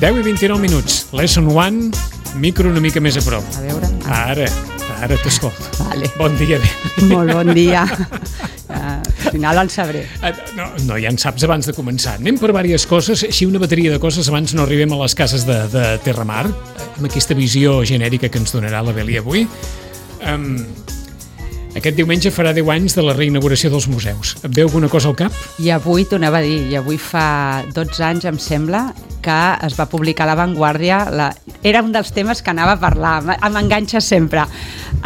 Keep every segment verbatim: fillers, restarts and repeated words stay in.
deu i vint-i-nou minuts. Lesson one, micro una mica més a prop. A veure. Ara, ara t'escolto. Vale. Bon dia. Molt bon dia. Al final en sabré. No, no, ja en saps abans de començar. Anem per diverses coses, així una bateria de coses abans no arribem a les cases de, de Terramar, amb aquesta visió genèrica que ens donarà la Beli avui. Um, aquest diumenge farà deu anys de la reinauguració dels museus. Et ve alguna cosa al cap? I avui t'ho anava a dir, i avui fa dotze anys, em sembla, que es va publicar a La Vanguardia. La... Era un dels temes que anava a parlar, m'enganxa sempre.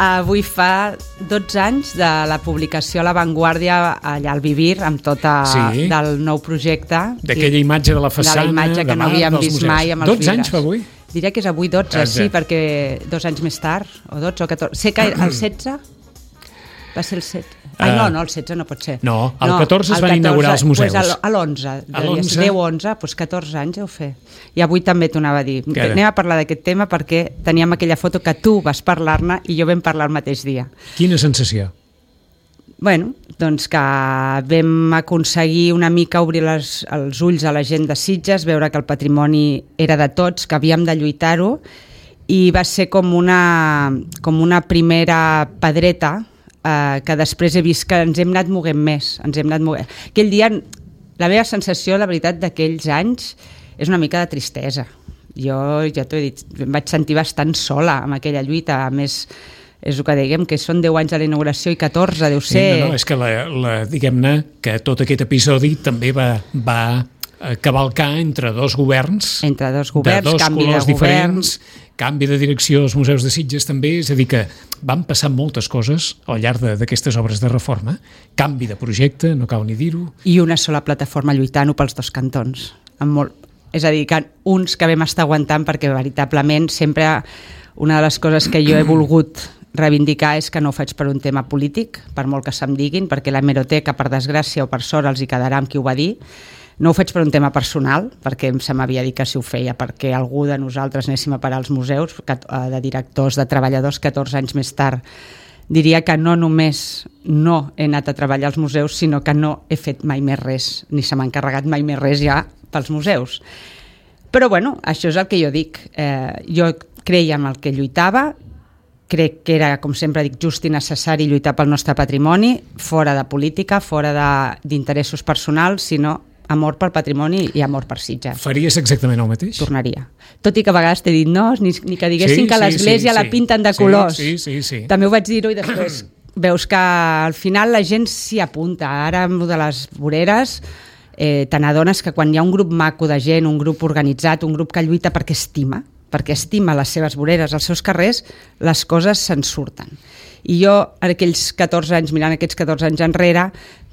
Avui fa dotze anys de la publicació a La Vanguardia allà al Vivir, amb tota sí. del nou projecte. D'aquella imatge de la façana, de la imatge que no havíem vist museus. Mai amb els dotze anys fa avui? Diré que és avui dotze, Exacte. sí, perquè dos anys més tard, o dotze o catorze. Sé que el setze va ser el setze. Ai, no, no, el setze no pot ser. No, el catorze es van inaugurar els museus. Pues a l'onze, deu onze, doncs catorze anys heu fet. I avui també t'ho anava a dir. Cara. Anem a parlar d'aquest tema perquè teníem aquella foto que tu vas parlar-ne i jo vam parlar el mateix dia. Quina sensació? Bueno, doncs que vam aconseguir una mica obrir les, els ulls a la gent de Sitges, veure que el patrimoni era de tots, que havíem de lluitar-ho, i va ser com una, com una primera pedreta eh, que després he vist que ens hem anat moguent més. Ens hem anat moguent. Aquell dia, la meva sensació, la veritat, d'aquells anys és una mica de tristesa. Jo, ja t'ho he dit, em vaig sentir bastant sola amb aquella lluita, a més... és el que diguem, que són deu anys de la inauguració i catorze, deu ser... Sí, no, no, és que la, la, diguem-ne que tot aquest episodi també va, va cavalcar entre dos governs, entre dos governs, de dos canvi colors de diferents, canvi de direcció als museus de Sitges també, és a dir que van passar moltes coses al llarg d'aquestes obres de reforma, canvi de projecte, no cal ni dir-ho. I una sola plataforma lluitant-ho pels dos cantons. Amb molt... És a dir, que uns que vam estar aguantant perquè veritablement sempre una de les coses que jo he volgut reivindicar és que no ho faig per un tema polític, per molt que se'm diguin, perquè la hemeroteca, per desgràcia o per sort, els hi quedarà amb qui ho va dir. No ho faig per un tema personal, perquè se m'havia dit que si ho feia perquè algú de nosaltres anéssim a parar als museus, de directors, de treballadors, catorze anys més tard. Diria que no només no he anat a treballar als museus, sinó que no he fet mai més res, ni se m'ha encarregat mai més res ja pels museus. Però bueno, això és el que jo dic. Eh, jo creia en el que lluitava, crec que era, com sempre dic, just i necessari lluitar pel nostre patrimoni, fora de política, fora d'interessos personals, sinó amor pel patrimoni i amor per Sitges. Faries exactament el mateix? Tornaria. Tot i que a vegades t'he dit no, ni, ni que diguessin sí, que l'església sí, sí, la pinten de sí, colors. Sí, sí, sí. També ho vaig dir-ho i després veus que al final la gent s'hi apunta. Ara amb de les voreres eh, te n'adones que quan hi ha un grup maco de gent, un grup organitzat, un grup que lluita perquè estima, perquè estima les seves voreres, els seus carrers, les coses se'n surten. I jo, en aquells catorze anys, mirant aquests catorze anys enrere,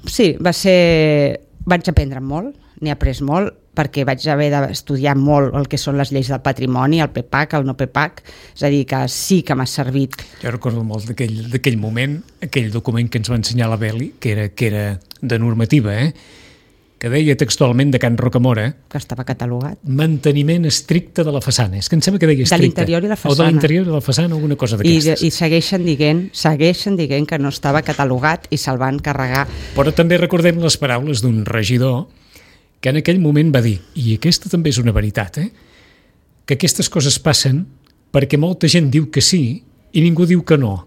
sí, va ser... vaig aprendre molt, n'he après molt, perquè vaig haver d'estudiar molt el que són les lleis del patrimoni, el P PAC, el no P PAC, és a dir, que sí que m'ha servit. Jo recordo molt d'aquell moment, aquell document que ens va ensenyar la Beli, que era, que era de normativa, eh? que deia textualment de Can Rocamora, que estava catalogat, manteniment estricte de la façana. És que em sembla que deia estricte. De l'interior i la façana. O de l'interior i la façana, alguna cosa d'aquestes. I, I segueixen dient, segueixen dient que no estava catalogat i se'l van carregar. Però també recordem les paraules d'un regidor que en aquell moment va dir, i aquesta també és una veritat, eh? que aquestes coses passen perquè molta gent diu que sí i ningú diu que no.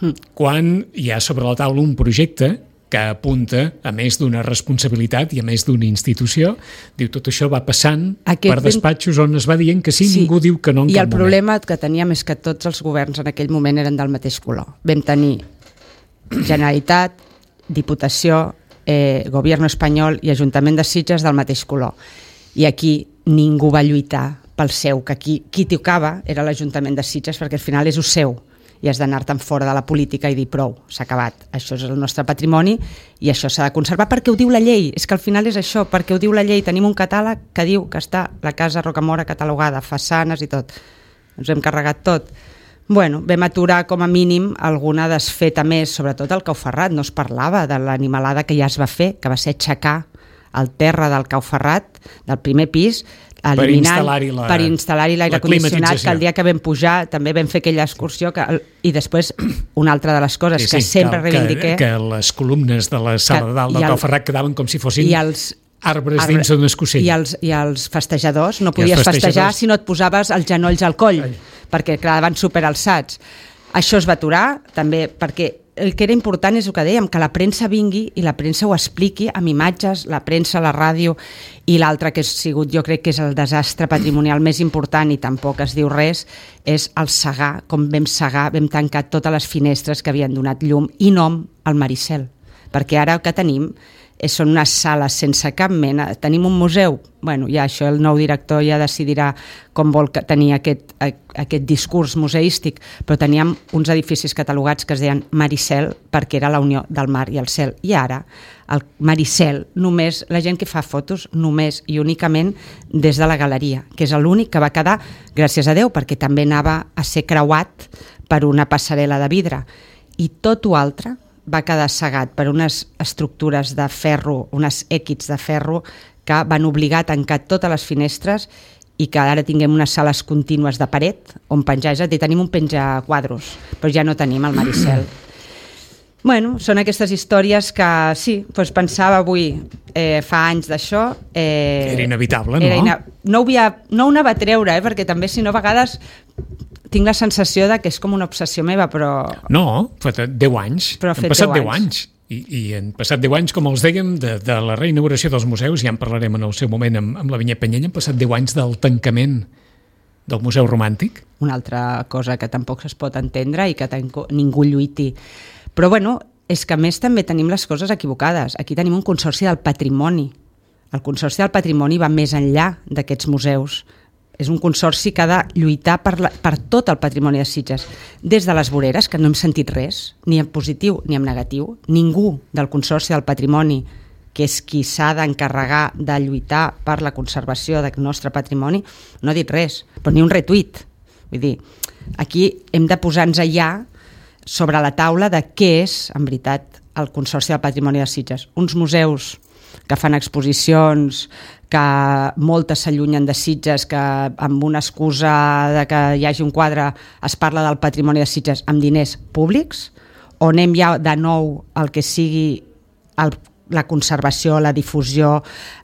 Mm. Quan hi ha sobre la taula un projecte que apunta, a més d'una responsabilitat i a més d'una institució, diu tot això va passant Aquest per despatxos on es va dient que sí, sí. ningú diu que no en I cap moment. I el problema que teníem és que tots els governs en aquell moment eren del mateix color. Vam tenir Generalitat, Diputació, eh, Govern espanyol i Ajuntament de Sitges del mateix color. I aquí ningú va lluitar pel seu, que aquí qui tocava era l'Ajuntament de Sitges, perquè al final és el seu. I has d'anar-te'n fora de la política i dir prou, s'ha acabat, això és el nostre patrimoni i això s'ha de conservar perquè ho diu la llei, és que al final és això, perquè ho diu la llei, tenim un catàleg que diu que està la casa Rocamora catalogada, façanes i tot, ens hem carregat tot. Bueno, vam aturar com a mínim alguna desfeta més, sobretot el Cau Ferrat, no es parlava de l'animalada que ja es va fer, que va ser aixecar el terra del Cau Ferrat, del primer pis, eliminant, per instal·lar-hi l'aire condicionat, que el dia que vam pujar també vam fer aquella excursió que, i després una altra de les coses sí, sí, que sempre que, reivindiqué que, que les columnes de la sala de dalt del Cau Ferrat quedaven com si fossin i els arbres arbre, dins d'un escocell. I els, I els festejadors, no podies festejar si no et posaves els genolls al coll, Ai. perquè quedaven superalçats. Això es va aturar, també perquè el que era important és el que dèiem, que la premsa vingui i la premsa ho expliqui amb imatges, la premsa, la ràdio, i l'altre que ha sigut, jo crec que és el desastre patrimonial més important i tampoc es diu res, és el segar, com vam segar, vam tancar totes les finestres que havien donat llum i nom al Maricel, perquè ara el que tenim són unes sales sense cap mena. Tenim un museu, bueno, ja això el nou director ja decidirà com vol tenir aquest, aquest discurs museístic, però teníem uns edificis catalogats que es deien Maricel perquè era la unió del mar i el cel. I ara el Maricel, només la gent que fa fotos, només i únicament des de la galeria, que és l'únic que va quedar, gràcies a Déu, perquè també anava a ser creuat per una passarel·la de vidre. I tot o altre va quedar cegat per unes estructures de ferro, unes èquits de ferro que van obligar a tancar totes les finestres i que ara tinguem unes sales contínues de paret on penjar, és a dir, tenim un penjaquadros, però ja no tenim el Maricel. Bueno, són aquestes històries que sí, doncs pensava avui, eh, fa anys d'això... Eh, era inevitable, no? Era ina... No ho, havia... no ho anava a treure, eh, perquè també si no a vegades tinc la sensació de que és com una obsessió meva, però... No, fa deu anys, però han passat deu anys. I, i han passat deu anys, com els dèiem, de, de la reinauguració dels museus, ja en parlarem en el seu moment amb, amb la Vinyet Penyella, han passat deu anys del tancament del Museu Romàntic. Una altra cosa que tampoc es pot entendre i que ningú lluiti. Però bueno, és que a més també tenim les coses equivocades. Aquí tenim un consorci del patrimoni. El consorci del patrimoni va més enllà d'aquests museus. És un consorci que ha de lluitar per, la, per tot el patrimoni de Sitges. Des de les voreres, que no hem sentit res, ni en positiu ni en negatiu. Ningú del consorci del patrimoni, que és qui s'ha d'encarregar de lluitar per la conservació del nostre patrimoni, no ha dit res, però ni un retuit. Vull dir, aquí hem de posar-nos allà sobre la taula de què és, en veritat, el Consorci del Patrimoni de Sitges. Uns museus que fan exposicions, que moltes s'allunyen de Sitges, que amb una excusa de que hi hagi un quadre es parla del patrimoni de Sitges amb diners públics, o anem ja de nou al que sigui el, la conservació, la difusió,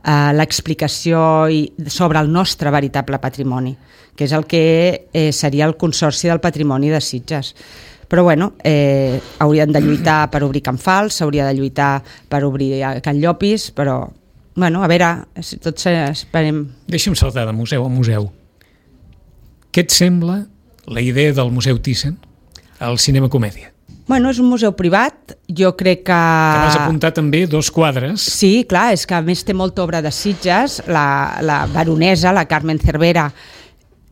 eh, l'explicació i, sobre el nostre veritable patrimoni, que és el que eh, seria el Consorci del Patrimoni de Sitges. Però bueno, eh, haurien de lluitar per obrir Can Fals, s'hauria de lluitar per obrir Can Llopis, però bueno, a veure, si tots esperem... Deixa'm saltar de museu a museu. Què et sembla la idea del Museu Thyssen al Cinema Comèdia? Bueno, és un museu privat, jo crec que... Que vas apuntar també dos quadres. Sí, clar, és que a més té molta obra de Sitges, la, la baronesa, la Carmen Cervera,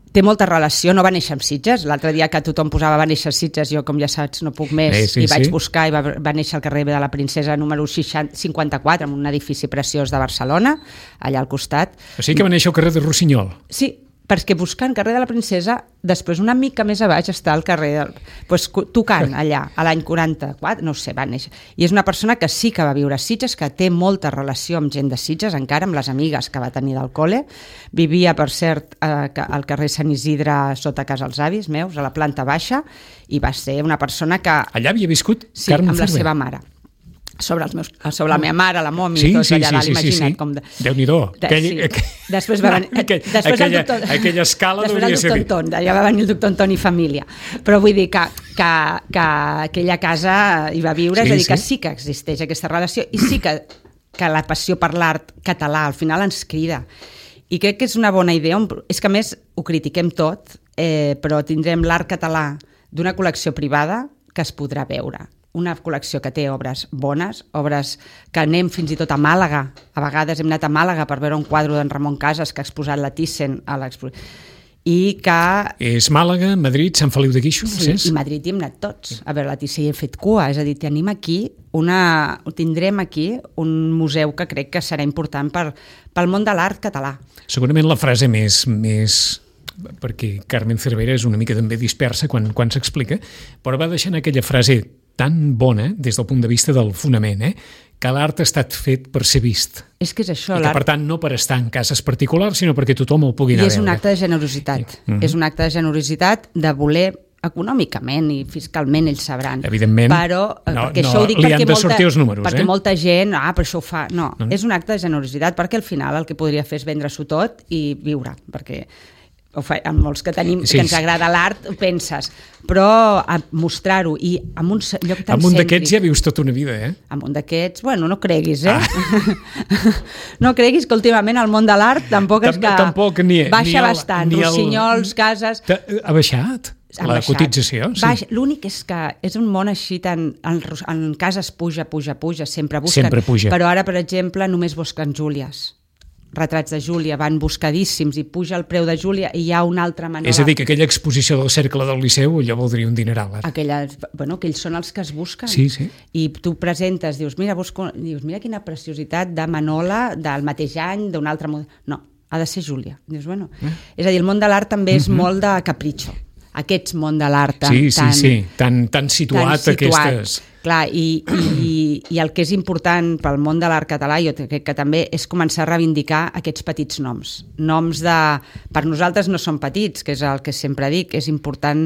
té molta relació, no va néixer amb Sitges. L'altre dia que tothom posava va néixer a Sitges, jo, com ja saps, no puc més, sí, sí, i vaig sí. buscar i va, va néixer al carrer de la Princesa número cinquanta-quatre, en un edifici preciós de Barcelona, allà al costat. O sigui que va néixer al carrer de Rossinyol. Sí, perquè buscant carrer de la Princesa, després una mica més a baix està el carrer del... Pues, tocant allà, a l'any quaranta-quatre, no sé, va néixer. I és una persona que sí que va viure a Sitges, que té molta relació amb gent de Sitges, encara amb les amigues que va tenir del col·le. Vivia, per cert, eh, al carrer Sant Isidre, sota casa els avis meus, a la planta baixa, i va ser una persona que... Allà havia viscut sí, Carmen amb la Cervera. seva mare. Sobre, els meus, sobre la meva mare, la momi, sí, i tot sí, allà sí, dalt, sí, imagina't. Sí, sí. Com de... Déu-n'hi-do. De, Aquell, sí. aquell... Després va venir... Aquell, després aquella, el doctor, aquella escala després devia ser... Després el doctor Anton, ja va venir el doctor Anton i família. Però vull dir que, que, que aquella casa hi va viure, sí, és a dir, que sí. sí que existeix aquesta relació i sí que, que la passió per l'art català al final ens crida. I crec que és una bona idea. És que a més ho critiquem tot, eh, però tindrem l'art català d'una col·lecció privada que es podrà veure. Una col·lecció que té obres bones, obres que anem fins i tot a Màlaga. A vegades hem anat a Màlaga per veure un quadre d'en Ramon Casas que ha exposat la Thyssen a l'exposició. I que... És Màlaga, Madrid, Sant Feliu de Guíxols, sí, és? I Madrid hi hem anat tots a veure la Thyssen i hem fet cua, és a dir, tenim aquí una... tindrem aquí un museu que crec que serà important per, pel món de l'art català. Segurament la frase més... més... perquè Carmen Cervera és una mica també dispersa quan, quan s'explica, però va deixant aquella frase tan bona des del punt de vista del fonament, eh? Que l'art ha estat fet per ser vist. És que és això, I que, per tant, no per estar en cases particulars, sinó perquè tothom el pugui anar a veure. I és un acte de generositat. Mm-hmm. És un acte de generositat de voler econòmicament i fiscalment ells sabran. Evidentment, però, no, perquè no això ho dic li perquè han de molta, sortir els números. Perquè eh? molta gent, ah, però això ho fa... No, no, és un acte de generositat, perquè al final el que podria fer és vendre-s'ho tot i viure, perquè ho fa, amb molts que tenim, sí, que ens agrada l'art, ho penses, però a mostrar-ho i en un lloc tan amb un cèntric... d'aquests ja vius tota una vida, eh? Amb un d'aquests, bueno, no creguis, eh? Ah. No creguis que últimament el món de l'art tampoc és que... Tampoc ni, baixa ni el, bastant, ni Rossinyols, cases... Ha baixat? La baixat. Cotització? Sí. L'únic és que és un món així tan... En, en cases puja, puja, puja, sempre busquen. Sempre puja. Però ara, per exemple, només busquen Júlies. Retrats de Júlia van buscadíssims i puja el preu de Júlia i hi ha una altra manera... És a dir, que aquella exposició del Cercle del Liceu allò voldria un dineral. Aquella, bueno, que ells són els que es busquen. Sí, sí. I tu presentes, dius, mira, busco, dius, mira quina preciositat de Manola del mateix any, d'un altre model... No, ha de ser Júlia. Dius, bueno... Eh? És a dir, el món de l'art també és mm-hmm. molt de capritxo. Aquest món de l'art tan, sí, sí, tan, sí. tan, tan situat, tan situat. Aquestes... Clar, i, i, i el que és important pel món de l'art català, jo crec que també, és començar a reivindicar aquests petits noms. Noms de... Per nosaltres no són petits, que és el que sempre dic, és important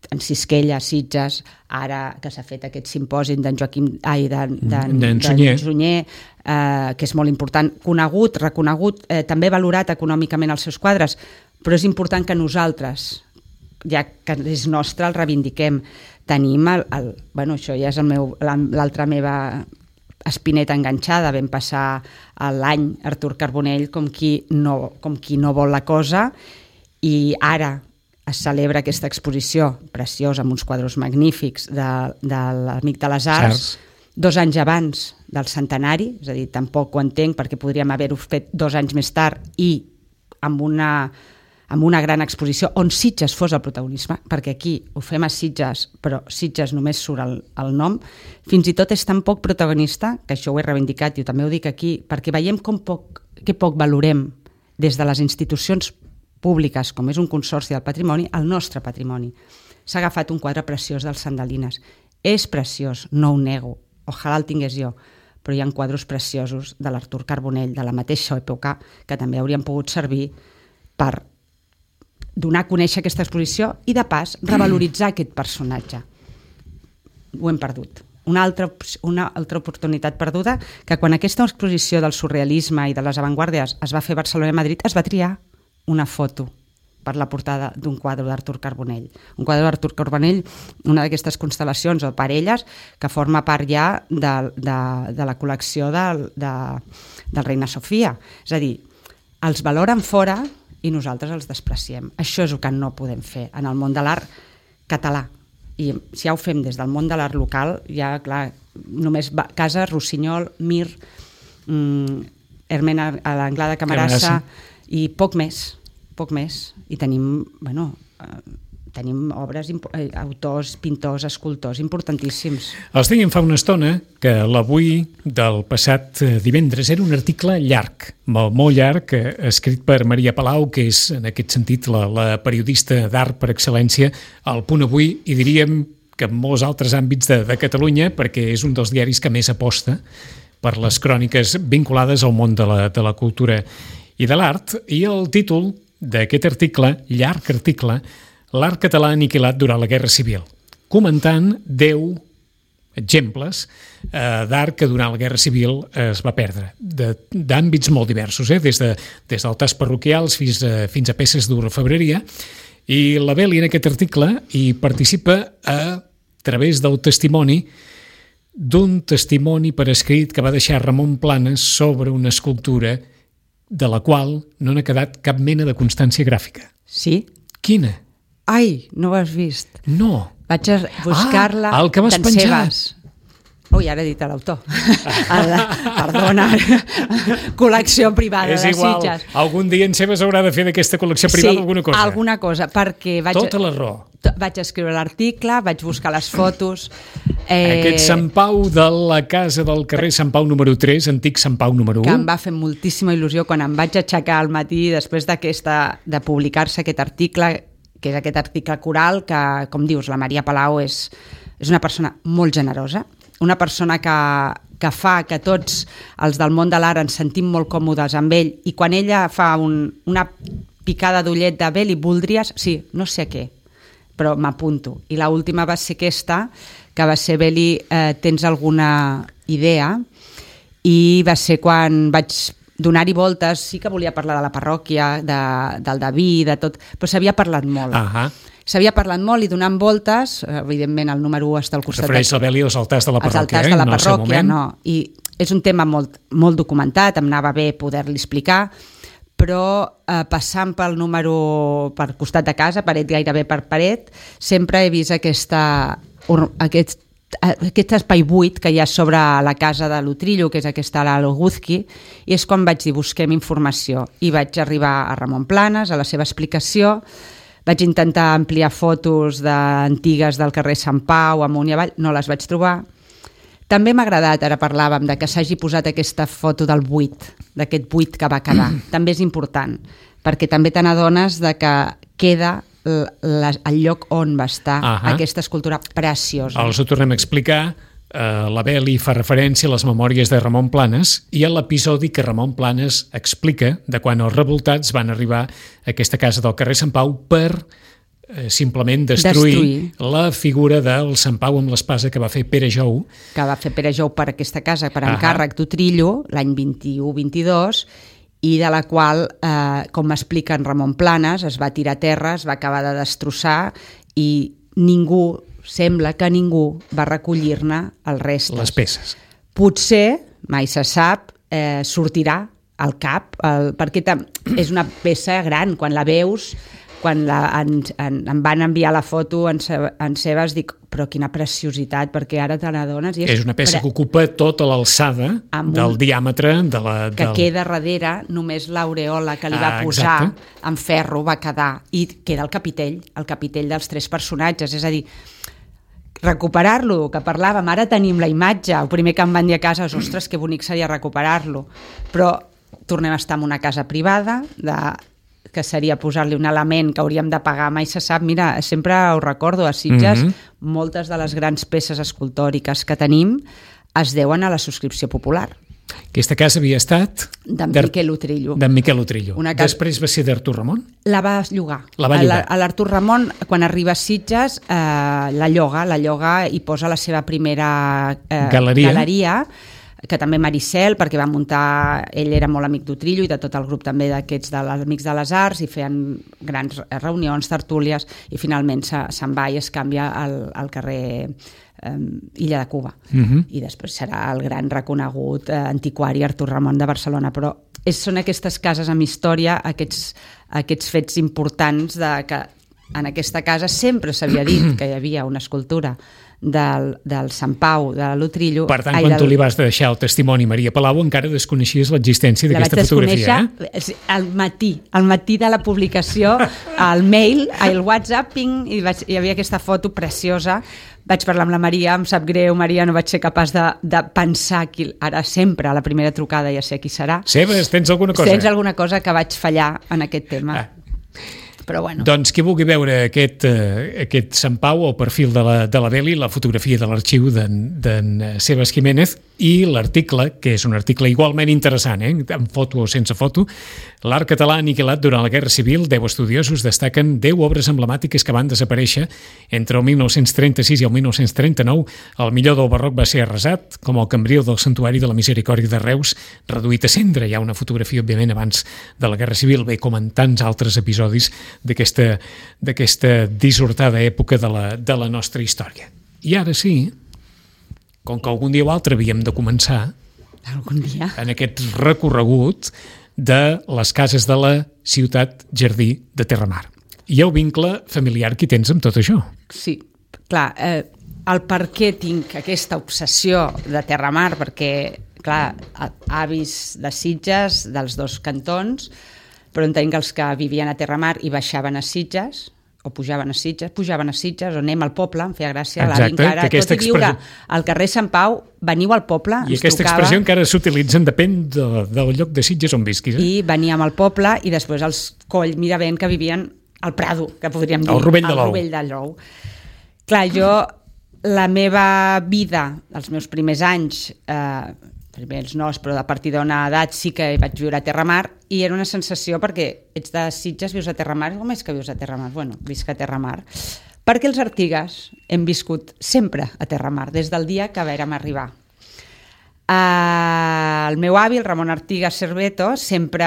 en Sisquella, Sitges, ara que s'ha fet aquest simpòsim d'en Joaquim... Ai, d'en Sunyer, Sunyer eh, que és molt important, conegut, reconegut, eh, també valorat econòmicament els seus quadres, però és important que nosaltres, ja que és nostre, el reivindiquem. Tenim el, el, bueno, això ja és el meu, l'altra meva espineta enganxada. Vam passar l'any Artur Carbonell com qui, no, com qui no vol la cosa i ara es celebra aquesta exposició preciosa amb uns quadros magnífics de, de l'Amic de les Arts, Arts, dos anys abans del centenari, és a dir, tampoc ho entenc perquè podríem haver-ho fet dos anys més tard i amb una... amb una gran exposició on Sitges fos el protagonisme, perquè aquí ho fem a Sitges, però Sitges només surt el, el nom, fins i tot és tan poc protagonista, que això ho he reivindicat i també ho dic aquí, perquè veiem com poc, que poc valorem des de les institucions públiques, com és un consorci del patrimoni, el nostre patrimoni. S'ha agafat un quadre preciós dels Sandalines. És preciós, no ho nego, ojalà el tingués jo, però hi ha quadros preciosos de l'Artur Carbonell, de la mateixa època, que també haurien pogut servir per donar a conèixer aquesta exposició i, de pas, revaloritzar aquest personatge. Ho hem perdut. Una altra, una altra oportunitat perduda, que quan aquesta exposició del surrealisme i de les avantguàrdies es va fer a Barcelona i Madrid, es va triar una foto per la portada d'un quadre d'Artur Carbonell. Un quadre d'Artur Carbonell, una d'aquestes constel·lacions o parelles, que forma part ja de, de, de la col·lecció de, de, del Reina Sofia. És a dir, els valoren fora i nosaltres els despreciem. Això és el que no podem fer en el món de l'art català. I si ja ho fem des del món de l'art local, ja, clar, només va, Casa, Rossinyol, Mir, mm, Hermen a l'Anglada Camarassa, i poc més, poc més. I tenim, bueno... Eh, tenim obres, autors, pintors, escultors importantíssims. Els dèiem fa una estona que l'avui del passat divendres era un article llarg, molt, molt llarg, escrit per Maria Palau, que és en aquest sentit la, la periodista d'art per excel·lència al Punt Avui, i diríem que en molts altres àmbits de, de Catalunya, perquè és un dels diaris que més aposta per les cròniques vinculades al món de la, de la cultura i de l'art, i el títol d'aquest article, llarg article, L'art català aniquilat durant la Guerra Civil, comentant deu exemples eh, d'art que durant la Guerra Civil es va perdre, d'àmbits molt diversos, eh? des, de, des d'altars parroquials fins a, fins a peces d'orfebreria, i la Beli en aquest article hi participa a través del testimoni d'un testimoni per escrit que va deixar Ramon Planes sobre una escultura de la qual no n'ha quedat cap mena de constància gràfica. Sí? Quina? Ai, no ho has vist. No. Vaig a buscar-la ah, el que vas penjar. Ui, ara he dit l'autor. Perdona. Col·lecció privada és de igual. Sitges. Algun dia en Sebes haurà de fer d'aquesta col·lecció privada sí, alguna cosa. alguna cosa, perquè vaig... Tota la raó. Vaig escriure l'article, vaig buscar les fotos... Eh... Aquest Sant Pau de la casa del carrer Sant Pau número tres, antic Sant Pau número u. Que em va fer moltíssima il·lusió quan em vaig aixecar al matí després d'aquesta de publicar-se aquest article, que és aquest article coral, que, com dius, la Maria Palau és, és una persona molt generosa, una persona que, que fa que tots els del món de l'art ens sentim molt còmodes amb ell, i quan ella fa un, una picada d'ullet de Beli, voldries... Sí, no sé què, però m'apunto. I l'última va ser aquesta, que va ser, Beli, eh, tens alguna idea? I va ser quan vaig donar-hi voltes, sí que volia parlar de la parròquia, de, del David, de tot, però s'havia parlat molt. Ahà. S'havia parlat molt i donant voltes, evidentment el número u està al costat... Refereix la Beli als altars de la parròquia, als altars de la parròquia, no, i és un tema molt, molt documentat, em anava bé poder-li explicar, però eh, passant pel número per costat de casa, paret gairebé per paret, sempre he vist aquesta, aquest, aquest espai buit que hi ha sobre la casa de l'Utrillo, que és aquesta a l'Oguzki, i és quan vaig dir busquem informació, i vaig arribar a Ramon Planes, a la seva explicació. Vaig intentar ampliar fotos de, antigues del carrer Sant Pau, amunt i avall, no les vaig trobar. També m'ha agradat, ara parlàvem, de que s'hagi posat aquesta foto del buit, d'aquest buit que va quedar. També és important, perquè també te n'adones de que queda el lloc on va estar uh-huh. aquesta escultura preciosa. Els ho tornem a explicar. Uh, la Beli fa referència a les memòries de Ramon Planes i a l'episodi que Ramon Planes explica de quan els revoltats van arribar a aquesta casa del carrer Sant Pau per uh, simplement destruir, destruir la figura del Sant Pau amb l'espasa que va fer Pere Jou. Que va fer Pere Jou per aquesta casa, per encàrrec d'Utrillo, l'any vint-i-u vint-i-dos, i de la qual, eh, com m'explica en Ramon Planes, es va tirar a terra, es va acabar de destrossar i ningú... sembla que ningú va recollir-ne els restes. Les peces. Potser, mai se sap, eh, sortirà al cap, el, perquè és una peça gran, quan la veus, quan la, en, en, em van enviar la foto en, en Sebas, dic, però quina preciositat, perquè ara te n'adones. És una peça pre... que ocupa tota l'alçada del diàmetre de la... Que del... queda darrere, només l'aureola que li va ah, posar exacte. En ferro va quedar, i queda el capitell, el capitell dels tres personatges, és a dir, recuperar-lo, que parlàvem, ara tenim la imatge, el primer que em van dir a casa és, ostres, que bonic seria recuperar-lo, però tornem a estar en una casa privada, de, que seria posar-li un element que hauríem de pagar, mai se sap. Mira, sempre ho recordo, a Sitges, mm-hmm. moltes de les grans peces escultòriques que tenim es deuen a la subscripció popular. Aquesta casa havia estat... D'en Miquel Utrillo. D'en Miquel Utrillo. Casa... Després va ser d'Artur Ramon? La va llogar. La va llogar. A l'Artur Ramon, quan arriba a Sitges, eh, la lloga, la lloga i posa la seva primera eh, galeria. galeria, que també Maricel, perquè va muntar... Ell era molt amic d'Utrillo i de tot el grup també d'aquests de les Amics de les Arts, i feien grans reunions, tertúlies, i finalment se, se'n va i es canvia al, al carrer... Illa de Cuba, uh-huh. i després serà el gran reconegut eh, antiquari Artur Ramon de Barcelona, però és, són aquestes cases amb història, aquests, aquests fets importants de que en aquesta casa sempre s'havia dit que hi havia una escultura del, del Sant Pau, de l'Utrillo. Per tant, ai, quan del... tu li vas deixar el testimoni Maria Palau, encara desconeixies l'existència d'aquesta fotografia, eh? Al matí, al matí de la publicació, al mail, al WhatsApp, ping, i vaig, hi havia aquesta foto preciosa. Vaig parlar amb la Maria, em sap greu, Maria, no vaig ser capaç de, de pensar qui, ara sempre a la primera trucada ja sé qui serà. Sebes, tens alguna cosa? Tens alguna cosa que vaig fallar en aquest tema. Ah. Però bueno. Doncs qui vulgui veure aquest, eh, aquest Sant Pau, el perfil de la, de la Beli, la fotografia de l'arxiu d'en Sebas Jiménez i l'article, que és un article igualment interessant, eh, amb foto o sense foto, l'art català aniquilat durant la Guerra Civil, deu estudiosos destaquen deu obres emblemàtiques que van desaparèixer entre el mil nou-cents trenta-sis i el mil nou-cents trenta-nou. El millor del barroc va ser arrasat, com el cambril del Santuari de la Misericòrdia de Reus, reduït a cendra. Hi ha una fotografia, òbviament, abans de la Guerra Civil, bé com en tants altres episodis d'aquesta d'aquesta dissortada època de la, de la nostra història. I ara sí, com que algun dia o altre havíem de començar algun dia en aquest recorregut de les cases de la ciutat jardí de Terramar. Hi ha un vincle familiar que tens amb tot això. Sí, clar, eh, el per què tinc aquesta obsessió de Terramar, perquè, clar, avis de Sitges, dels dos cantons, però entenc que els que vivien a Terramar i baixaven a Sitges, o pujaven a Sitges, pujaven a Sitges, o anem al poble, em feia gràcia, l'avi encara, tot i viure expressió... al carrer Sant Pau, veniu al poble, i aquesta tocava, expressió encara s'utilitzen, depèn de, del lloc de Sitges on visquis. Eh? I veníem al poble, i després els Coll Miravent, que vivien al Prado, que podríem dir, al Rovell de l'Ou. Rovell de l'Ou. Clar, jo, la meva vida, els meus primers anys, eh, primer els nos, però a partir d'una edat sí que vaig viure a Terramar, i era una sensació perquè ets de Sitges, vius a Terramar, com és que vius a Terramar? Bueno, visc a Terramar. Perquè els Artigas hem viscut sempre a Terramar, des del dia que vàrem arribar. Uh, el meu avi, el Ramon Artigas Cerveto, sempre,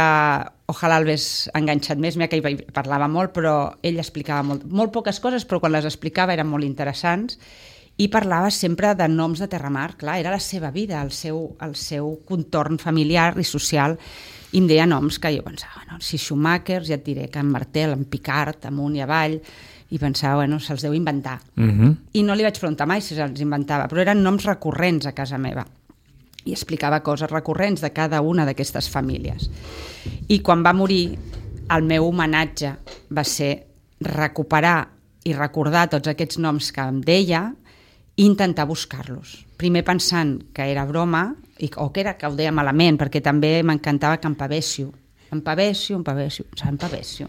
ojalà el hagués enganxat més, mira que ell parlava molt, però ell explicava molt, molt poques coses, però quan les explicava eren molt interessants, i parlava sempre de noms de Terramar, clar, era la seva vida, el seu, el seu contorn familiar i social, i em deia noms que jo pensava, no, si Schumacher, ja et diré que en Martel, en Picard, amunt i avall, i pensava, bueno, se'ls deu inventar. Uh-huh. I no li vaig preguntar mai si se'ls inventava, però eren noms recurrents a casa meva. I explicava coses recurrents de cada una d'aquestes famílies. I quan va morir, el meu homenatge va ser recuperar i recordar tots aquests noms que em deia i intentar buscar-los. Primer pensant que era broma, i, o que era que ho deia malament, perquè també m'encantava que empavessió. Empavessió, empavessió, empavessió.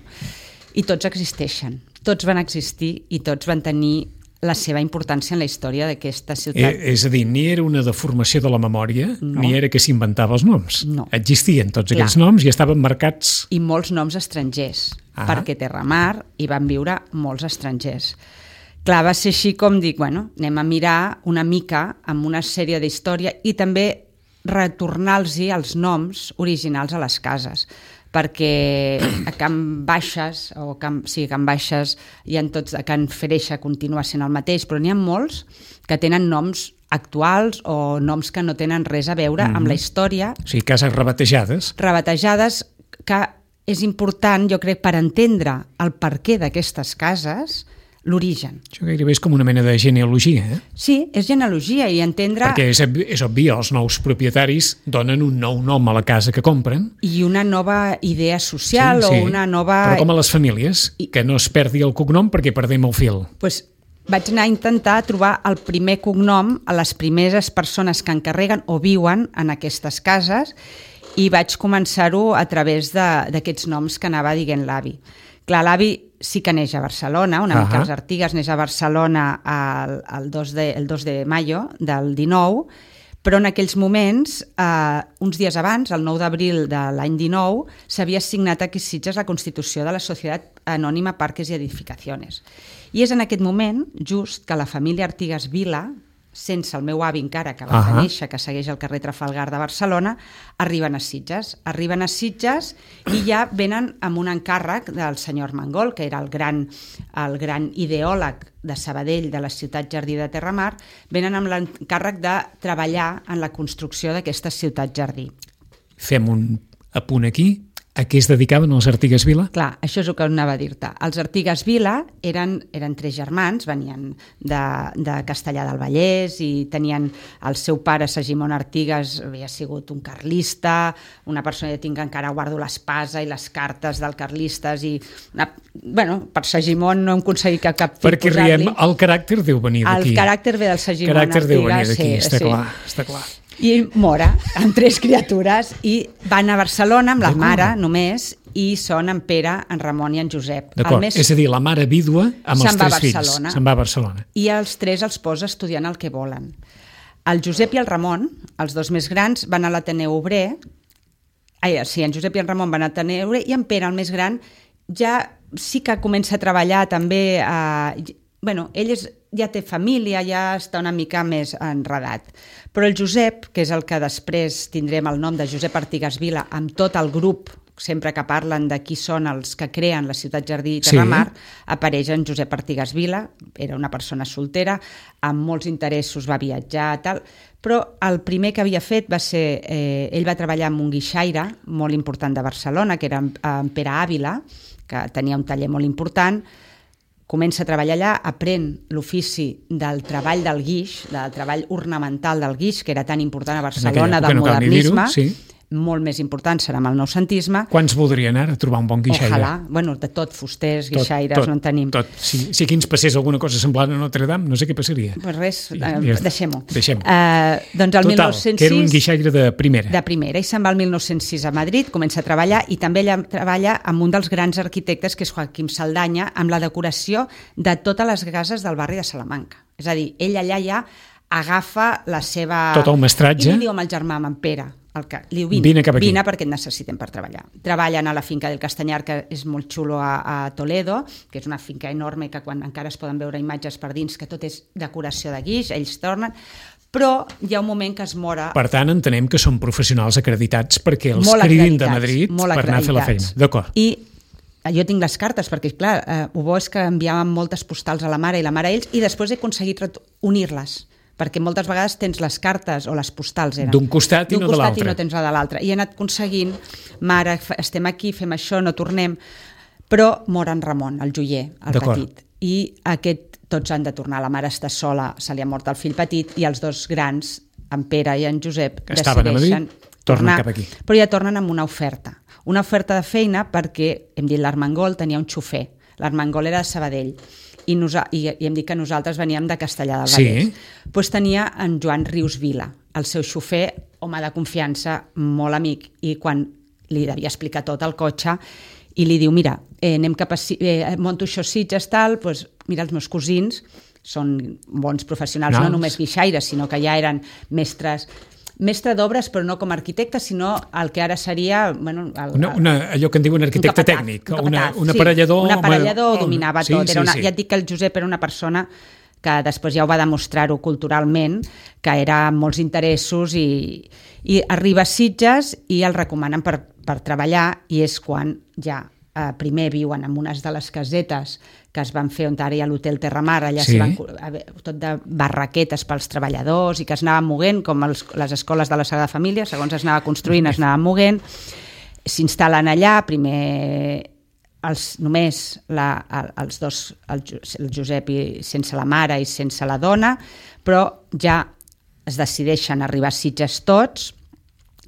I tots existeixen, tots van existir i tots van tenir la seva importància en la història d'aquesta ciutat. Eh, és a dir, ni era una deformació de la memòria, no. ni era que s'inventava els noms. No. Existien tots Clar. aquests noms i estaven marcats... I molts noms estrangers, ah. perquè a Terramar hi van viure molts estrangers. Clar, va ser així com dic, bueno, anem a mirar una mica amb una sèrie d'història i també retornar-los els noms originals a les cases, perquè a Can Baixes, o Can, sí, a Can Baixes hi ha tots, a Can Freixa continua sent el mateix, però n'hi ha molts que tenen noms actuals o noms que no tenen res a veure mm-hmm. amb la història. O sigui, cases rebatejades. Rebatejades, que és important, jo crec, per entendre el perquè d'aquestes cases, l'origen. Això gairebé és com una mena de genealogia, eh? Sí, és genealogia i entendre... Perquè és, és obvi, els nous propietaris donen un nou nom a la casa que compren. I una nova idea social sí, sí. o una nova... Però com a les famílies, I... que no es perdi el cognom perquè perdem el fil. Pues vaig anar a intentar trobar el primer cognom a les primeres persones que encarreguen o viuen en aquestes cases i vaig començar-ho a través d'aquests noms que anava dient l'avi. Clar, l'avi sí que neix a Barcelona, una uh-huh. mica els Artigas neix a Barcelona el, el, dos de, el dos de maio del dinou, però en aquells moments, eh, uns dies abans, el nou d'abril de l'any dinou, s'havia signat aquí a Sitges la Constitució de la Societat Anònima Parques i Edificaciones. I és en aquest moment, just, que la família Artigas Vila, sense el meu avi encara, que va uh-huh. néixer, que segueix al carrer Trafalgar de Barcelona, arriben a Sitges. Arriben a Sitges i ja venen amb un encàrrec del senyor Armengol, que era el gran, el gran ideòleg de Sabadell, de la ciutat jardí de Terramar, venen amb l'encàrrec de treballar en la construcció d'aquesta ciutat jardí. Fem un apunt aquí. A què es dedicaven els Artigas Vila? Clar, això és el que anava a dir-te. Els Artigas Vila eren, eren tres germans, venien de, de Castellar del Vallès i tenien el seu pare, Segimon Artigas, havia sigut un carlista, una persona que tinc encara guardo l'espasa i les cartes del carlistes i, una, bueno, per Segimon no hem aconseguit cap, cap per què riem, el caràcter deu venir d'aquí. El caràcter ve del Segimon Artigas. El caràcter deu venir d'aquí, sí, està sí. clar, està clar. I mora amb tres criatures i van a Barcelona amb la mare només i són en Pere, en Ramon i en Josep. D'acord, més... és a dir, la mare vídua amb els tres fills. Se'n va a Barcelona. I els tres els posa estudiant el que volen. El Josep i el Ramon, els dos més grans, van a l'Ateneu Obrer. Ai, sí, en Josep i en Ramon van a l'Ateneu Obrer i en Pere, el més gran, ja sí que comença a treballar també a... Bueno, ell és, ja té família, ja està una mica més enredat. Però el Josep, que és el que després tindrem el nom de Josep Artigas Vila, amb tot el grup, sempre que parlen de qui són els que creen la ciutat jardí de Terramar, sí. apareix en Josep Artigas Vila, era una persona soltera, amb molts interessos, va viatjar, tal, però el primer que havia fet va ser, eh, ell va treballar amb un guixaire molt important de Barcelona, que era en Pere Àvila, que tenia un taller molt important, comença a treballar allà, aprèn l'ofici del treball del guix, del treball ornamental del guix, que era tan important a Barcelona, del no modernisme, sí. molt més important serà amb el noucentisme. Quants voldrien ara trobar un bon guixaire? Ojalà, bueno, de tot, fusters, guixaires, tot, tot, no en tenim. Tot. Si, si aquí ens passés alguna cosa semblant a Notre Dame, no sé què passaria. Pues res, sí, eh, ja deixem-ho. Deixem uh, doncs el Total, mil nou-cents sis... que era un guixaire de primera. De primera, i se'n va al mil nou-cents sis a Madrid, comença a treballar, i també ella treballa amb un dels grans arquitectes, que és Joaquim Saldanya, amb la decoració de totes les cases del barri de Salamanca. És a dir, ell allà ja agafa la seva... Tot el mestratge. I li diu amb el germà, amb en Pere, el que, li diu, vine, vine cap aquí. Vine perquè et necessitem per treballar. Treballen a la finca del Castanyar, que és molt xulo a, a Toledo, que és una finca enorme que quan encara es poden veure imatges per dins, que tot és decoració de guix, ells tornen, però hi ha un moment que es mora... Per tant, entenem que són professionals acreditats perquè els cridin de Madrid per anar a fer la feina. D'acord. I jo tinc les cartes, perquè, clar, eh, ho bo és que enviàvem moltes postals a la mare i la mare a ells, i després he aconseguit unir-les, perquè moltes vegades tens les cartes o les postals eren d'un costat i no de l'altre. D'un costat i no tens la de l'altre. I he anat aconseguint, mare, estem aquí, fem això, no tornem, però mor en Ramon, el joier, el petit. I aquest, tots han de tornar, la mare està sola, se li ha mort el fill petit, i els dos grans, en Pere i en Josep, que decideixen tornar cap aquí. Però ja tornen amb una oferta. Una oferta de feina perquè, hem dit, l'Armengol tenia un xofer. L'Armengol era de Sabadell. I, nosa, i, i hem dit que nosaltres veníem de Castellar del Vallès. Sí. Pues tenia en Joan Rius Vila, el seu xofer, home de confiança, molt amic, i quan li devia explicar tot el cotxe, i li diu, mira, eh, anem cap a, eh, monto això Sitges, tal, pues, mira, els meus cosins són bons professionals, no, no només guixaires, sinó que ja eren mestres... mestre d'obres, però no com a arquitecte, sinó el que ara seria... Bueno, el, una, una, allò que en diuen arquitecte un capataz, tècnic, un, una, sí, un aparellador... Un aparellador home, dominava sí, tot. Era una, sí, sí. Ja et dic que el Josep era una persona que després ja ho va demostrar-ho culturalment, que era molts interessos, i, i arriba a Sitges i el recomanen per, per treballar, i és quan ja eh, primer viuen en unes de les casetes que es van fer on ara hi ha l'Hotel Terramar, allà sí. van, tot de barraquetes pels treballadors i que es anaven moguent, com els, les escoles de la Sagrada Família, segons es anava construint, es anava moguent, s'instal·len allà, primer els, només la, els dos, el, el Josep i, sense la mare i sense la dona, però ja es decideixen arribar a Sitges tots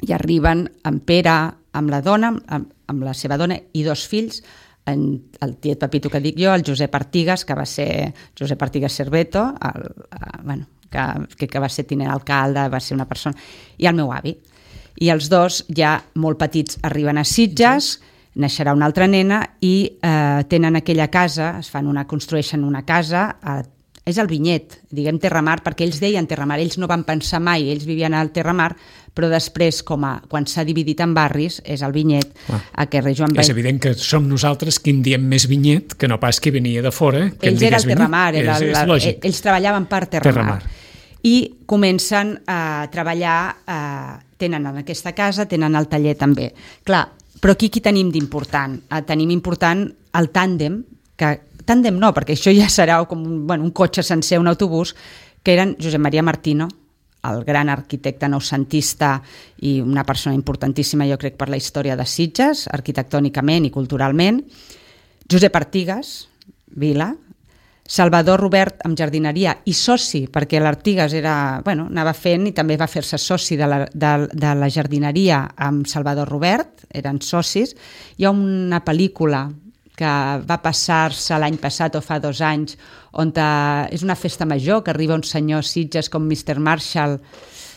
i arriben amb Pere, amb la dona, amb, amb la seva dona i dos fills, en el tiet Pepito que dic jo, el Josep Artigas, que va ser Josep Artigas Cerveto, el, el, bueno, que, que va ser tinent alcalde, va ser una persona, i el meu avi. I els dos, ja molt petits, arriben a Sitges, naixerà una altra nena i eh, tenen aquella casa, es fan una, construeixen una casa, eh, és el Vinyet, diguem Terramar, perquè ells deien Terramar, ells no van pensar mai, ells vivien al Terramar, però després, com a, quan s'ha dividit en barris, és el Vinyet, ah. a carrer Joan Vall. És evident que som nosaltres qui en diem més Vinyet, que no pas qui venia de fora. Que ells eren el Terramar, era és, la, és ells treballaven per Terramar. Terramar. I comencen a treballar, eh, tenen en aquesta casa, tenen el taller també. Clar, però aquí qui tenim d'important? Eh, tenim important el tàndem, que tàndem no, perquè això ja serà com un, bueno, un cotxe sencer, un autobús, que eren Josep Maria Martino, el gran arquitecte noucentista i una persona importantíssima, jo crec, per la història de Sitges, arquitectònicament i culturalment, Josep Artigas, Vila, Salvador Robert amb jardineria i soci, perquè l'Artigas era, bueno, anava fent i també va fer-se soci de la, de, de la jardineria amb Salvador Robert, eren socis. Hi ha una pel·lícula que va passar-se l'any passat o fa dos anys, on és una festa major, que arriba un senyor Sitges com mister Marshall,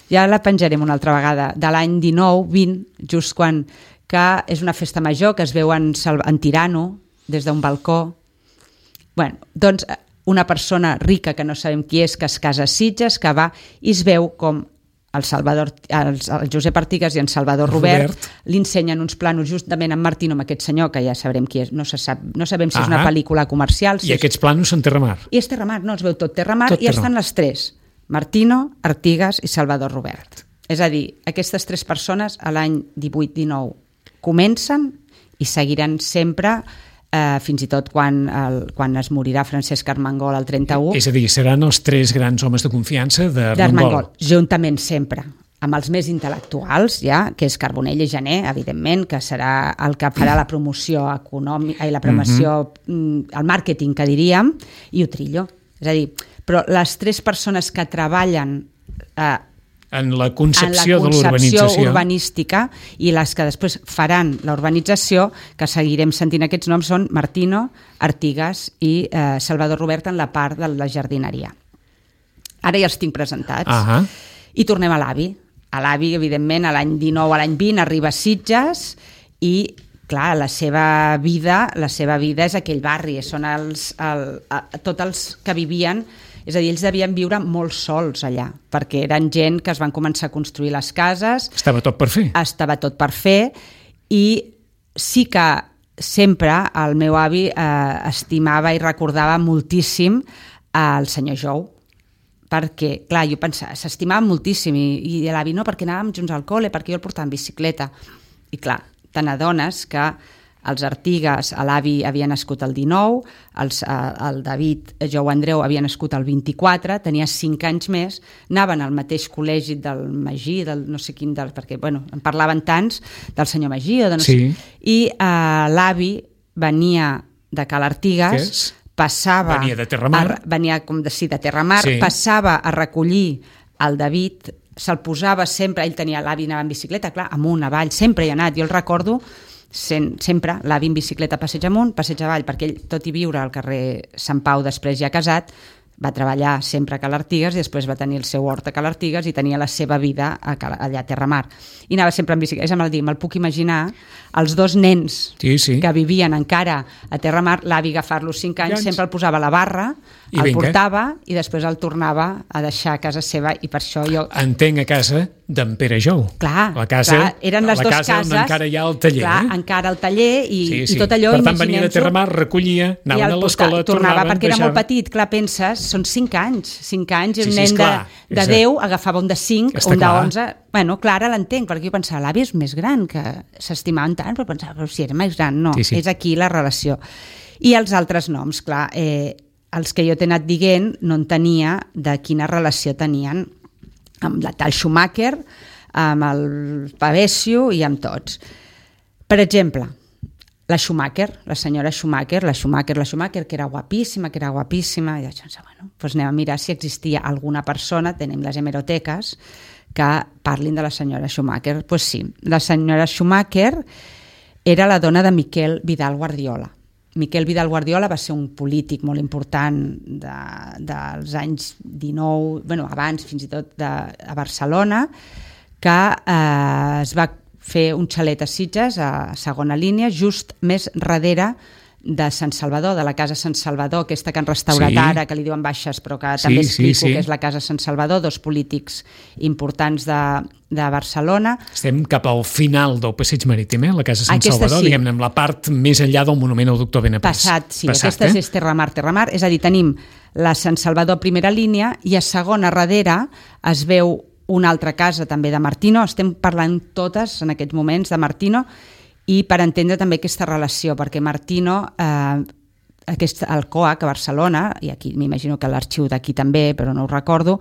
ja la penjarem una altra vegada, de l'any dinou vint, just quan, que és una festa major, que es veu en, en Tirano, des d'un balcó. Bueno, doncs una persona rica, que no sabem qui és, que es casa a Sitges, que va i es veu com el, Salvador, el, el Josep Artigas i en Salvador Robert, Robert. li ensenyen uns planos justament en Martino, amb aquest senyor, que ja sabrem qui és, no, se sap, no sabem si ah, és una pel·lícula comercial. Si I és... aquests planos són Terramar. I és Terramar, no, es veu tot Terramar, tot i Terramar. Estan les tres, Martino, Artigas i Salvador Robert. És a dir, aquestes tres persones a l'any divuit dinou comencen i seguiran sempre, eh, fins i tot quan, el, quan es morirà Francesc Armengol el trenta-u. És a dir, seran els tres grans homes de confiança d'Armengol. Juntament sempre, amb els més intel·lectuals, ja, que és Carbonell i Jané, evidentment, que serà el que farà la promoció econòmica i la promoció, mm-hmm. el màrqueting, que diríem, i Utrillo. És a dir, però les tres persones que treballen eh, en la concepció, en la concepció de l'urbanització urbanística i les que després faran la urbanització, que seguirem sentint aquests noms, són Martino, Artigas i eh, Salvador Robert en la part de la jardineria. Ara ja els tinc presentats. Uh-huh. I tornem a l'Avi. A l'Avi, evidentment, a l'any dinou, a l'any vint, arriba a Sitges i, clar, la seva vida, la seva vida és aquell barri, són els, el, a, tots els que vivien És a dir, ells devien viure molt sols allà, perquè eren gent que es van començar a construir les cases. Estava tot per fer. Estava tot per fer, i sí que sempre el meu avi eh, estimava i recordava moltíssim el senyor Jou, perquè, clar, jo pensava, s'estimava moltíssim, i, i l'avi no, perquè anàvem junts al col·le, perquè jo el portava en bicicleta. I clar, te n'adones que els Artigas, l'avi havia nascut el dinou, els, el David, Jou Andreu, havia nascut el vint-i-quatre, tenia cinc anys més, anaven al mateix col·legi del Magí, del no sé quin, del, perquè bueno, en parlaven tants, del senyor Magí, o de no sí. sé, i eh, l'avi venia de Cal Artigas, passava... Venia de Terramar. A, venia, com de, sí, de Terramar, sí. Passava a recollir el David, se'l posava sempre, ell tenia, l'avi anava en bicicleta, clar, amunt, avall, sempre hi ha anat, jo el recordo, sempre, l'avi en bicicleta passeig amunt, passeig avall, perquè ell, tot i viure al carrer Sant Pau, després ja casat, va treballar sempre a Cal Artigas i després va tenir el seu hort a Cal Artigas i tenia la seva vida a Cal, allà a Terramar. I anava sempre en bicicleta. És amb el dir, me'l puc imaginar, els dos nens sí, sí. que vivien encara a Terramar, l'avi agafar-los cinc anys, Llavors. sempre el posava a la barra, I el vinga. portava i després el tornava a deixar a casa seva, i per això jo... Entenc a casa d'en Pere Jou. Clar, la casa, clar, eren les la dues casa cases. encara hi ha el taller. Clar, eh? encara el taller i, sí, sí. i tot allò, per tant, venia de Terramar, recollia, anaven a l'escola, tornava, tornaven, perquè era baixaven. molt petit, clar, penses, són cinc anys, cinc anys, i sí, un sí, nen esclar, de, de deu agafava un de cinc, Està un clar. de onze... Bueno, clar, ara l'entenc, perquè jo pensava, l'avi és més gran, que s'estimaven tant, però pensava, però si era més gran, no, sí, sí. és aquí la relació. I els altres noms, clar, eh, els que jo t'he anat dient no en tenia de quina relació tenien amb la tal Schumacher, amb el Pavesio i amb tots. Per exemple, la Schumacher, la senyora Schumacher, la Schumacher, la Schumacher, que era guapíssima, que era guapíssima, i jo pensava, bueno, doncs anem a mirar si existia alguna persona, tenim les hemeroteques, que parlin de la senyora Schumacher. Doncs pues sí, la senyora Schumacher era la dona de Miquel Vidal Guardiola. Miquel Vidal Guardiola va ser un polític molt important de, dels anys dinou, bueno, abans fins i tot de, a Barcelona, que eh, es va fer un xalet a Sitges, a segona línia, just més darrere de Sant Salvador, de la Casa Sant Salvador, aquesta que han restaurat sí. ara, que li diuen Baixes, però que sí, també explico sí, sí. que és la Casa Sant Salvador, dos polítics importants de, de Barcelona. Estem cap al final del passeig marítim, eh? La Casa Sant aquesta Salvador, sí. diguem-ne, amb la part més enllà del monument al doctor Benapés. Passat, sí, Passat, aquesta eh? és Terramar, Terramar, és a dir, tenim la Sant Salvador primera línia i a segona darrere es veu una altra casa també de Martino, estem parlant totes en aquests moments de Martino, i per entendre també aquesta relació, perquè Martino, eh, aquest, el COAC a Barcelona, i aquí m'imagino que l'arxiu d'aquí també, però no ho recordo,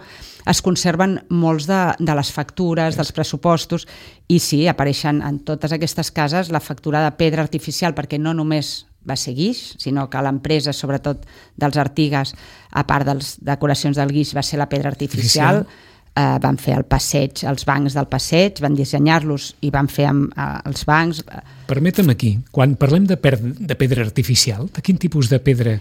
es conserven molts de, de les factures, dels pressupostos, i sí, apareixen en totes aquestes cases la factura de pedra artificial, perquè no només va ser guix, sinó que l'empresa, sobretot dels Artigas, a part de les decoracions del guix, va ser la pedra artificial, artificial. Uh, van fer el passeig, els bancs del passeig, van dissenyar-los i van fer amb, uh, els bancs. Permetem aquí, quan parlem de, per, de pedra artificial, de quin tipus de pedra?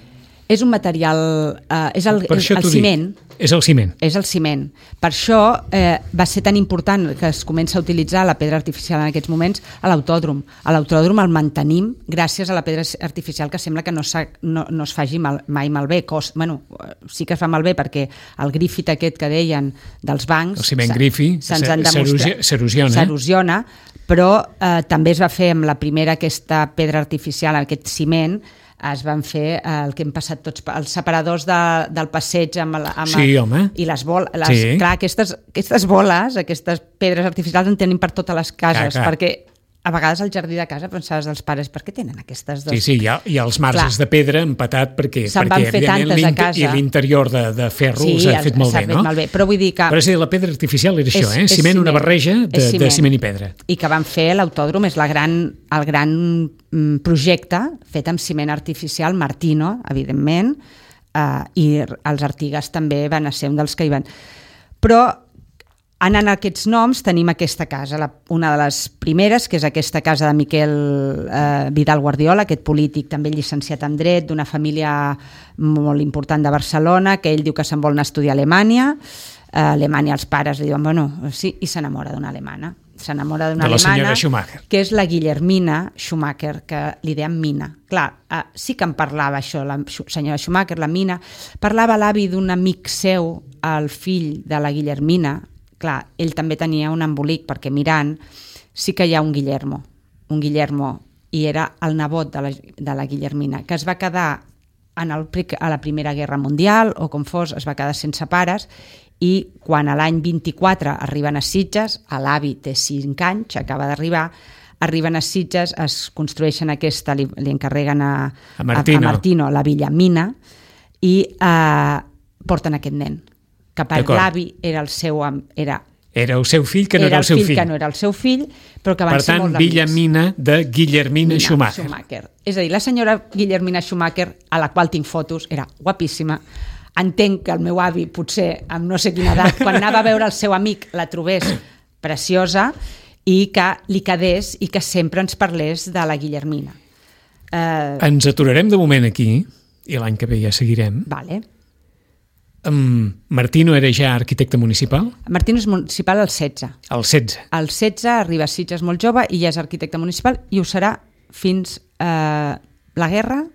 És un material, uh, és el, el, el ciment. Dic, és el ciment. És el ciment. Per això eh, va ser tan important que es comença a utilitzar la pedra artificial en aquests moments a l'autòdrom. A l'autòdrom el mantenim gràcies a la pedra artificial, que sembla que no, no, no es faci mal, mai malbé. Cost, bueno, sí que es fa malbé perquè el grifit aquest que deien dels bancs... El ciment grifi s'erosiona. S'erosiona, però eh, també es va fer amb la primera aquesta pedra artificial, aquest ciment, es van fer el que hem passat tots, els separadors de, del passeig amb, amb sí, home. I les boles, les, sí. clar, aquestes, aquestes boles, aquestes pedres artificials en tenim per totes les cases, clar, clar. Perquè a vegades al jardí de casa pensaves dels pares, per què tenen aquestes dos? Sí, sí, hi ha, hi ha els marges clar. de pedra empatat perquè, se'n perquè van fer tantes a casa. I l'interior de, de ferro sí, s'ha fet molt bé, no? Molt bé, però vull dir que... Però és a dir, la pedra artificial era és, això, eh? Ciment, ciment, una barreja de ciment. de ciment i pedra. I que van fer l'autòdrom, és la gran, el gran projecte fet amb ciment artificial, Martino, evidentment, eh, i els Artigas també van ser un dels que hi van... Però anant a aquests noms, tenim aquesta casa, la, una de les primeres, que és aquesta casa de Miquel eh, Vidal Guardiola, aquest polític també llicenciat en dret, d'una família molt important de Barcelona, que ell diu que se'n vol anar a estudiar a Alemanya. A Alemanya els pares li diuen, bueno, sí, i s'enamora d'una alemana. s'enamora d'una de la alemana, senyora Schumacher, que és la Guillermina Schumacher, que li deien Mina. Clar, eh, sí que en parlava això, la senyora Schumacher, la Mina, parlava l'avi d'un amic seu, el fill de la Guillermina. Clar, ell també tenia un embolic, perquè mirant sí que hi ha un Guillermo, un Guillermo, i era el nebot de la, de la Guillermina, que es va quedar en el, a la Primera Guerra Mundial, o com fos, es va quedar sense pares, i quan a l'any vint-i-quatre arriben a Sitges, l'avi té cinc anys, acaba d'arribar, arriben a Sitges, es construeixen aquesta, li, li encarreguen a, a, Martino. a, a Martino la Villa Mina, i eh, porten aquest nen, que per l'avi era el seu... Era, era el seu fill, que no era, era el seu fill, fill. que no era el seu fill, però que van per ser tant, molt amics. Villa Mina de Guillermina Schumacher. Schumacher. És a dir, la senyora Guillermina Schumacher, a la qual tinc fotos, era guapíssima. Entenc que el meu avi, potser amb no sé quina edat, quan anava a veure el seu amic, la trobés preciosa i que li quedés i que sempre ens parlés de la Guillermina. Eh... Ens aturarem de moment aquí i l'any que ve ja seguirem. Vale. Um, Martino era ja arquitecte municipal? Martino és municipal al setze. Al setze. Al setze arriba a Sitges molt jove i ja és arquitecte municipal i ho serà fins eh, la guerra,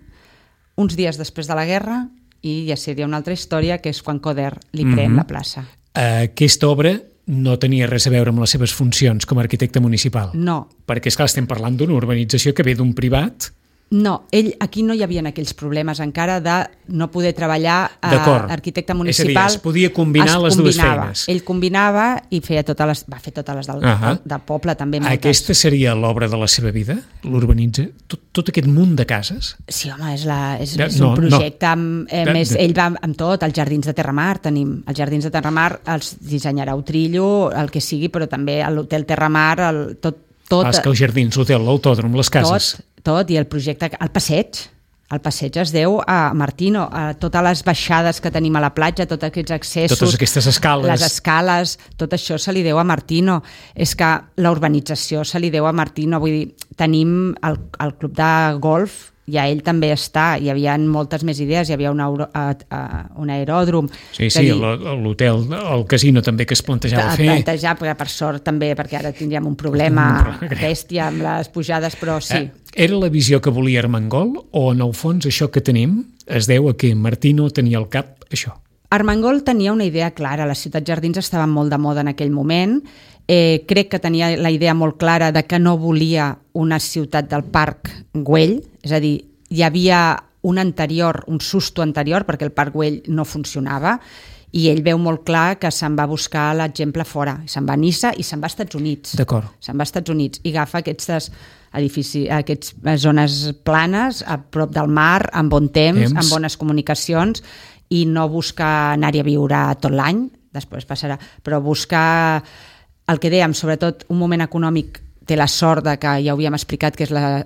uns dies després de la guerra, i ja seria una altra història, que és quan Coder li pren mm-hmm. la plaça. Aquesta obra no tenia res a veure amb les seves funcions com a arquitecte municipal? No. Perquè, esclar, estem parlant d'una urbanització que ve d'un privat. No, ell, aquí no hi havia aquells problemes encara de no poder treballar a arquitecte municipal. És a dir, es podia combinar es les combinava. dues feines. Ell combinava i feia totes les, va fer totes les del, uh-huh. del, del poble també. Moltes. Aquesta seria l'obra de la seva vida? L'urbanitza? Tot, tot aquest munt de cases? Sí, home, és, la, és, de, és un no, projecte no. amb, eh, de, més, de... ell va amb tot, els Jardins de Terramar tenim, els Jardins de Terramar els dissenyarà Utrillo, el que sigui, però també l'Hotel Terramar, el, tot, tot... Ah, és que els jardins, l'hotel, l'autòdrom, les cases... Tot, tot, i el projecte, el passeig, el passeig es deu a Martino, a totes les baixades que tenim a la platja, tots aquests accessos, totes aquestes escales, les escales, tot això se li deu a Martino. És que la urbanització se li deu a Martino, vull dir, tenim el, el club de golf, ja ell també està, hi havia moltes més idees, hi havia un, euro, uh, uh, un aeròdrom. Sí, sí, l'hotel, el casino també que es plantejava fer. Plantejar, per sort també, perquè ara tindríem un problema bèstia amb les pujades, però sí. Era la visió que volia Armengol o en el fons això que tenim es deu a que Martino tenia al cap això? Armengol tenia una idea clara, les ciutats jardins estaven molt de moda en aquell moment, eh, crec que tenia la idea molt clara de que no volia una ciutat del Parc Güell, és a dir, hi havia un anterior, un susto anterior, perquè el Parc Güell no funcionava, i ell veu molt clar que se'n va buscar l'exemple fora, se'n va a Niça i se'n va als Estats Units. D'acord. Se'n va als Estats Units i agafa aquestes edificis, aquestes zones planes a prop del mar, amb bon temps, temps. amb bones comunicacions, i no busca anar-hi a viure tot l'any, després passarà, però buscar el que dèiem, sobretot un moment econòmic, té la sort de que ja ho havíem explicat, que és la,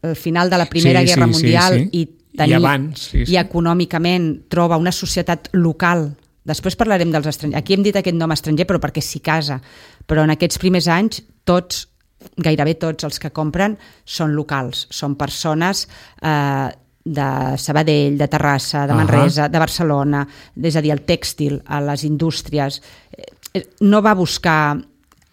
el final de la Primera sí, Guerra sí, Mundial, sí, sí. i tenir, I abans, sí, sí. i econòmicament troba una societat local. Després parlarem dels estrangers. Aquí hem dit aquest nom estranger, però perquè s'hi casa. Però en aquests primers anys, tots, gairebé tots els que compren, són locals. Són persones eh, de Sabadell, de Terrassa, de Manresa, uh-huh. de Barcelona, és a dir, el tèxtil, a les indústries. No va buscar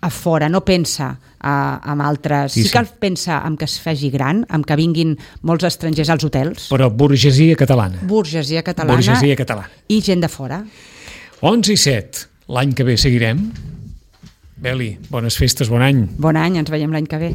a fora, no pensa a, amb altres... Sí, sí. sí que pensa en que es faci gran, en que vinguin molts estrangers als hotels. Però burgesia catalana. Burgesia catalana. Burgesia catalana. I gent de fora. onze i set. L'any que ve seguirem. Beli, bones festes, bon any. Bon any, ens veiem l'any que ve.